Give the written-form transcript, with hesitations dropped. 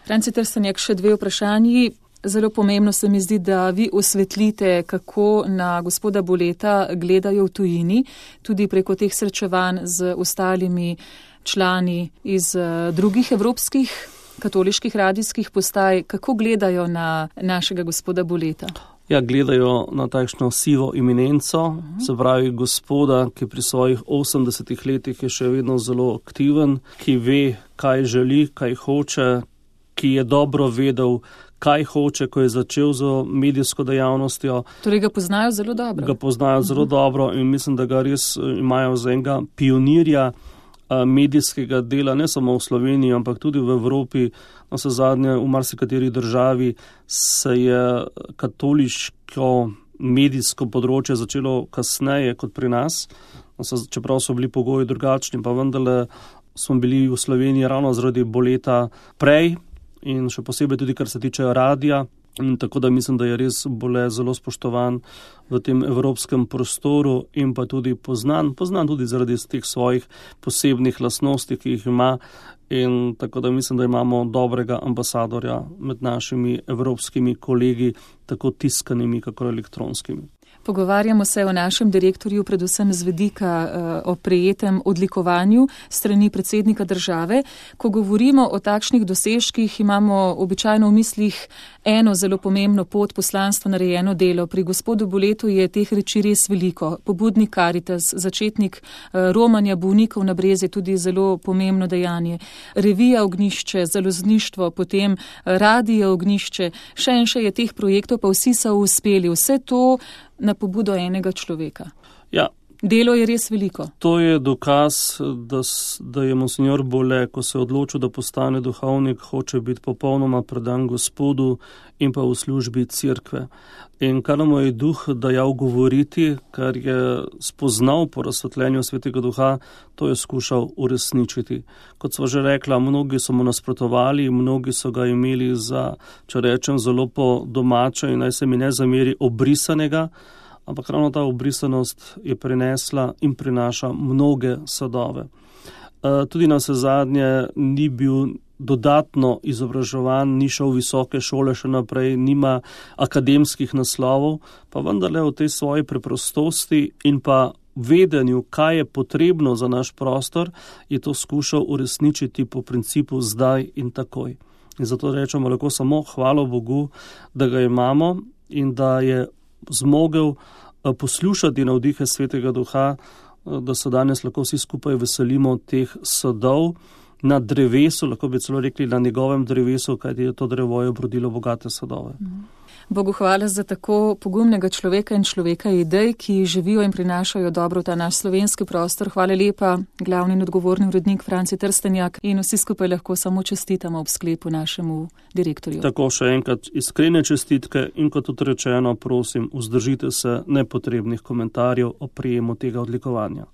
Franci Trstenjak, še dve vprašanji. Zelo pomembno se mi zdi, da vi osvetlite, kako na gospoda Boleta gledajo v tujini, tudi preko teh srečevanj z ostalimi člani iz drugih evropskih katoliških radijskih postaj. Kako gledajo na našega gospoda Boleta? Ja, gledajo na takšno sivo eminenco, se pravi gospoda, ki pri svojih 80 letih je še vedno zelo aktiven, ki ve, kaj želi, kaj hoče, ki je dobro vedel, kaj hoče, ko je začel z medijsko dejavnostjo. Torej ga poznajo zelo dobro. Ga poznajo zelo dobro in mislim, da ga res imajo za enega pionirja medijskega dela, ne samo v Sloveniji, ampak tudi v Evropi. Navsezadnje v marsikateri državi se je katoliško medijsko področje začelo kasneje kot pri nas, čeprav so bili pogoji drugačni, pa vendarle smo bili v Sloveniji ravno zaradi Boleta prej in še posebej tudi, kar se tiče radija. In tako da mislim, da je res Bole zelo spoštovan v tem evropskem prostoru in pa tudi poznan tudi zaradi teh svojih posebnih lastnosti, ki jih ima. In tako da mislim, da imamo dobrega ambasadorja med našimi evropskimi kolegi, tako tiskanimi, kako elektronskimi. Pogovarjamo se o našem direktorju, predvsem z vidika o prejetem odlikovanju strani predsednika države. Ko govorimo o takšnih dosežkih, imamo običajno v mislih eno zelo pomembno pot, poslanstvo, narejeno delo. Pri gospodu Boletu je teh reči res veliko. Pobudnik Karitas, začetnik romanja bolnikov na Brezje, tudi zelo pomembno dejanje. Revija Ognjišče, založništvo, potem radio Ognjišče, še je teh projektov, pa vsi so uspeli. Vse to na pobudo enega človeka. Ja. Delo je res veliko. To je dokaz, da je monsignor Bole, ko se je odločil, da postane duhovnik, hoče biti popolnoma predan Gospodu in pa v službi cerkve. In kar mu je duh dajal govoriti, kar je spoznal po razsvetljenju Svetega Duha, to je skušal uresničiti. Kot sva že rekla, mnogi so mu nasprotovali, mnogi so ga imeli za, če rečem, zelo po domače in naj se mi ne zameri, obrisanega, ampak ravno ta obrisanost je prinesla in prinaša mnoge sadove. Tudi navsezadnje ni bil dodatno izobraževan, ni šel v visoke šole še naprej, nima akademskih naslovov, pa vendarle v tej svoji preprostosti in pa vedenju, kaj je potrebno za naš prostor, je to skušal uresničiti po principu zdaj in takoj. In zato rečemo lahko samo hvala Bogu, da ga imamo in da je zmogel poslušati navdihe Svetega Duha, da se danes lahko vsi skupaj veselimo teh sadov na drevesu, lahko bi celo rekli na njegovem drevesu, kajti je to drevo je obrodilo bogate sadove. Bogu hvala za tako pogumnega človeka in človeka idej, ki živijo in prinašajo dobro v ta naš slovenski prostor. Hvala lepa, glavni in odgovorni urednik Franci Trstenjak, in vsi skupaj lahko samo čestitamo ob sklepu našemu direktorju. Tako še enkrat iskrene čestitke in kot tudi rečeno, prosim, vzdržite se nepotrebnih komentarjev o prijemu tega odlikovanja.